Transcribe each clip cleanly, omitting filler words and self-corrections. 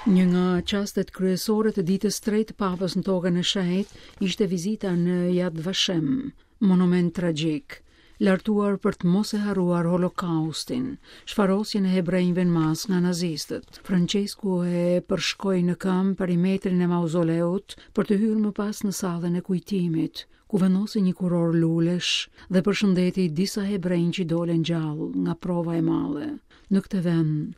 Një nga çastet kryesore të ditës tretë të Papës në Tokën e Shenjtë ishte vizita në Yad Vashem, monument tragjik, lartuar për të mos e harruar Holokaustin, shfarosjen e hebrenjve në masë nga nazistët. Françesku e përshkoi në këmbë perimetrin e mauzoleut për të hyrë më pas në sallën e kujtimit, ku vendosi një kurorë lulesh dhe përshëndeti disa hebrenj që dolën gjallë nga prova e madhe. Në këtë vend,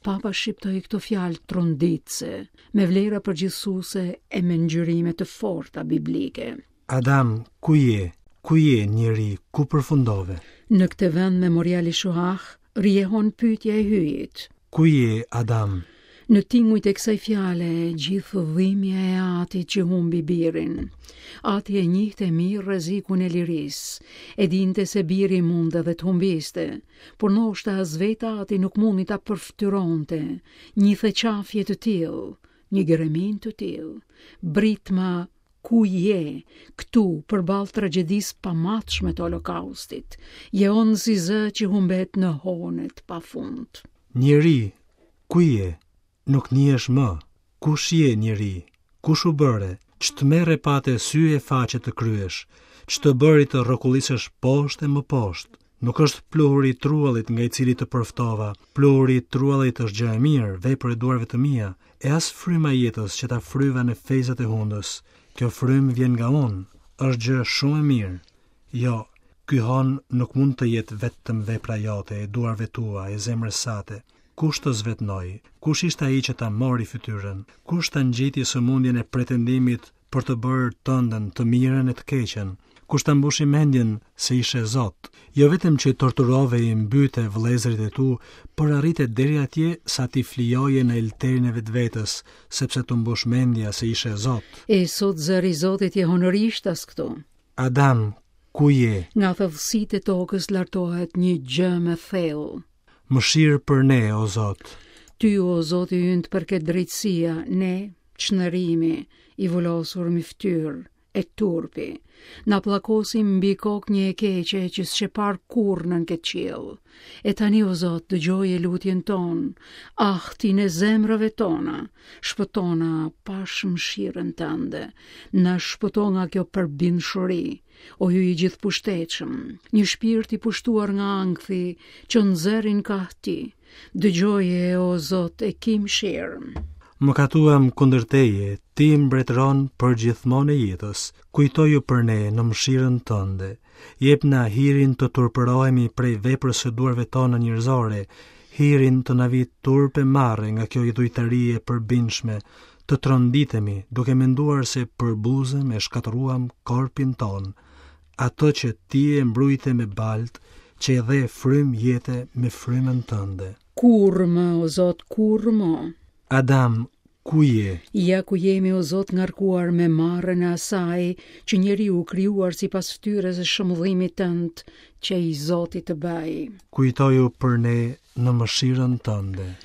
Papa shqiptoi këto fjalë tronditëse, me vlera përgjithësuese e me ngjyrime të forta biblike. Adam, ku je? Ku je, njeri, ku përfundove? Në këtë vend memorial i Shoah, rijehon pyetja e Hyjit. Ku je, Adam? Në tingujt e kësaj fjale, gjithë dhimbja e atit që humbi birin. Ati e njihte mirë rrezikun e lirisë, e dinte se biri mund edhe të humbiste, por ndoshta as vetë ati nuk mundi ta përfytyronte një theqafje të tillë, një greminë të tillë. Britma Ku je, këtu, përballë tragjedisë pamatshme të Holokaustit, jehon si zë që humbet në hone të pafund. Njeri, ku je? Nuk njihesh më. Kush je, njeri? Kush u bëre? Ç'tmerr pate sy e faqe të kryesh? Ç'të bëri të rrokullisesh poshtë e më poshtë? Nuk është pluhuri i truallit nga i cili të përftova. Pluhuri i truallit është gjë e mirë, vepër e duarve të mia, e as fryma e jetës që ta fryva në fejzat e hundës. Kjo frymë vjen nga unë, është gjë shumë e mirë. Jo, ky hon nuk mund të jetë vetëm vepra jote, e duarve tua, e zemrës sate. Kush të zvetënoi? Kush ishte ai që ta mori fytyrën? Kush ta ngjiti sëmundjen e pretendimit për të bërë tënden të mirën e të keqen? Kush ta mbushi mendjen se ishe Zot? Jo vetëm që i torturove e i mbyte vëllezërit e tu, por arrite deri atje sa t'i flijoje në elterin e vetvetes, sepse t'u mbush mendja se ishe Zot. E sot zëri i Zotit jehon rishtas këtu. Adam, ku je? Nga thellësitë e tokës lartohet një gjëmë e thellë. Mëshirë për ne, o Zot. Ty, o Zoti ynë, të përket drejtësia, ne, çnderimi, i vulosur mbi fytyrë, e turpi. Na pllakosi mbi kokë një e keqe që s'qe parë kurrë nën këtë qiell. E tani, o Zot, dëgjoje lutjen tonë, ahtin e zemrave tona, shpëtona pash mëshirën tënde, na shpëto nga kjo përbindshuri, o Hyj i gjithëpushtetshëm, një shpirt i pushtuar nga ankthi, çon zërin kah ti, Dëgjoje, o Zot, e ki mëshirë. Mëkatuam kundër teje, ti mbretëron përgjithmonë e jetës. Kujtoju për ne në mëshirën tënde. Jepna hirin të turpërohemi prej veprës së duarve tona njerëzore, hirin të na vijë turp e marre nga kjo idhujtari e përbindshme, të tronditemi duke menduar se përbuzëm e shkatërruam korpin tonë. Atë që ti e mbrujte me baltë, që i dhe frymë jete me frymën tënde. Kurrë më, o Zot, kurrë më. Adam, ku je? Ja ku jemi, o Zot, ngarkuar me marren e asaj që njeriu krijuar sipas fytyrës e shëmëllimit tënd, qe i zoti të bëjë. Kujtoju për ne në mëshirën tënde.